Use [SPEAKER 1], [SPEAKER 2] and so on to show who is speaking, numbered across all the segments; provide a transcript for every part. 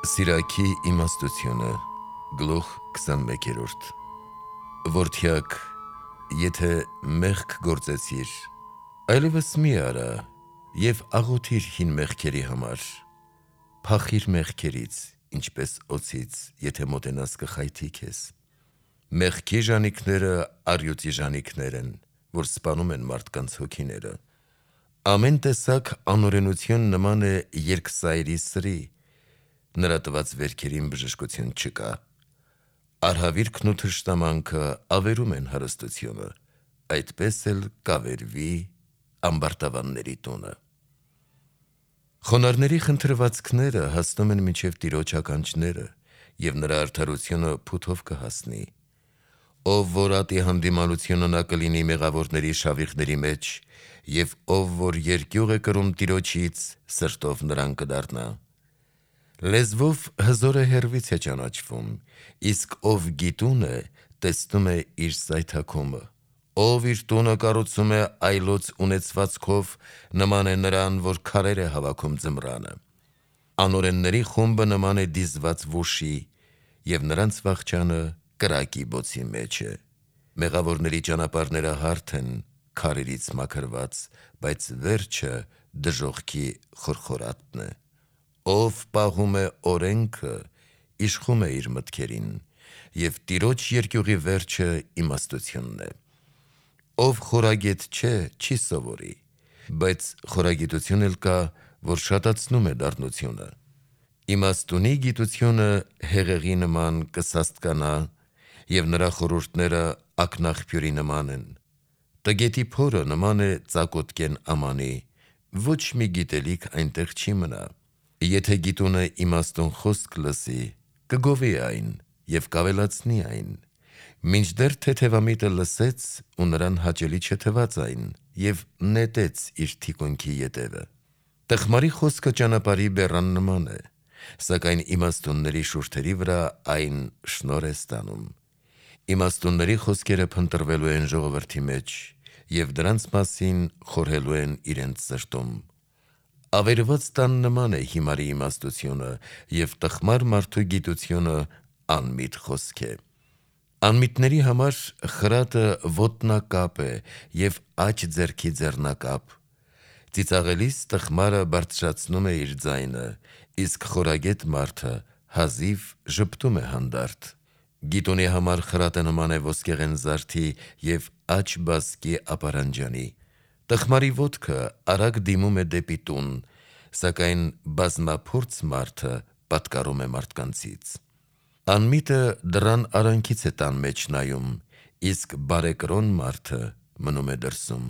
[SPEAKER 1] Սիրակի իմաստությունը գլուխ 21-րդ Որդյակ, եթե մեղք գործեցիր, այլևս մի արա և աղոթիր հին մեղքերի համար, փախիր մեղքերից, ինչպես օձից, եթե մոտենաս կխայթի քեզ: Մեղքի ժանիքները առյուծի ժանիքներ են, որ սպանում են մարդկանց հոգիները: Ամեն տեսակ անօրենություն նման է երկսայրի սրի, նրա տված վերքերին բժշկություն չկա: Արհավիրքն ու թշնամանքը ավերում են հարստությունը, այդպես էլ կավերվի ամբարտավանների տունը: Խոնարհների խնդրվածքները հասնում են մինչև Տիրոջ ականջները, և նրա արդարությունը փութով կհասնի: Ով որ ատի հանդիմանությունը նա կլինի մեղավորների շավիղների մեջ, և ով որ երկյուղ է կրում Տիրոջից, սրտով նրան կդառնա: Լեզվով հզորը հեռվից է ճանաչվում, իսկ ով գիտուն է, տեսնում է իր սայթաքումը: Ով իր տունը կառուցում է այլոց ունեցվածքով, նման է նրան, որ քարեր է հավաքում ձմռանը: Անօրենների խումբը նման է դիզված վուշի, և նրանց վախճանը կրակի բոցի մեջ է: Մեղավորների ճանապարհները հարթ են, քարերից մաքրված, բայց վերջը դժոխքի խորխորատն է: Ով պահում է օրենքը, իշխում է իր մտքերին, և Տիրոջ երկյուղի վերջը իմաստությունն է: Ով խորագետ չէ, չի սովորի, բայց խորագիտություն էլ կա, որ շատացնում է դառնությունը: Իմաստունի գիտությունը հեղեղի նման կսաստկանա, և նրա խորհուրդները ակնաղբյուրի նման են: Տգետի փորը նման է ծակոտկեն ամանի, ոչ մի գիտելիք այնտեղ չի մնա: Եթե գիտունը իմաստուն խոսք լսի, կգովի այն և կավելացնի այն: Մինչդեռ թեթևամիտը լսեց ու նրան հաճելի չթվաց այն և նետեց իր թիկունքի ետևը: Տխմարի խոսքը ճանապարհի բեռան նման է, սակայն իմաստունների շուրթերի վրա այն շնորհ է ստանում: Իմաստունների խոսքերը փնտրվելու են ժողովրդի մեջ, և դրանց մասին խորհելու են իրենց սրտում: Ավերված տան նման է հիմարի իմաստությունը, և տխմար մարդու գիտությունը անմիտ խոսք է: Անմիտների համար խրատը ոտնակապ է և աջ ձեռքի ձեռնակապ: Ծիծաղելիս տխմարը բարձրացնում է իր ձայնը, իսկ խորագետ մարդը հազիվ ժպտում է հանդարտ: Գիտունի համար խրատը նման է ոսկեղեն զարդի և աջ բազկի ապարանջանի: Տխմարի ոտքը արագ դիմում է դեպի տուն, սակայն բազմափորձ մարդը պատկառում է մարդկանցից: Անմիտը դռան արանքից է տան մեջ նայում, իսկ բարեկրոն մարդը մնում է դրսում: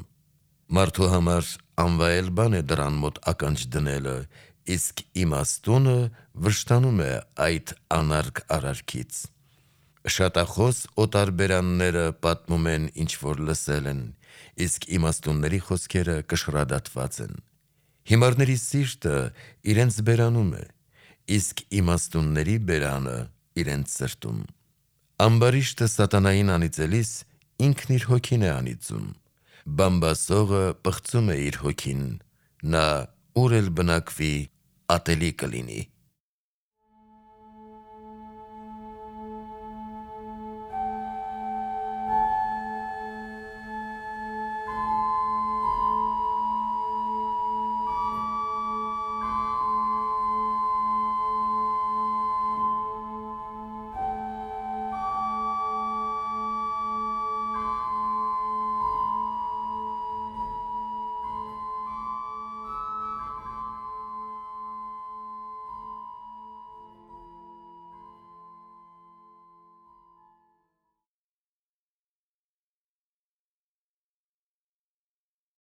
[SPEAKER 1] Մարդու համար անվայել բան է դռան մոտ ականջ դնելը, իսկ իմաստունը վշտանում է այդ անարգ արարքից: Շատախոս օտարբերանները պատմում են ինչ որ լսել են, իսկ իմաստունների խոսքերը կշռադատված են: Հիմարների սիրտը իրենց բերանում է, իսկ իմաստունների բերանը իրենց սրտում: Ամբարիշտը սատանային անիծելիս ինքն իր հոգին է անիծում: Բամբասողը պղծում է իր հոգին, նա ուր էլ բնակվի ատելի կլինի: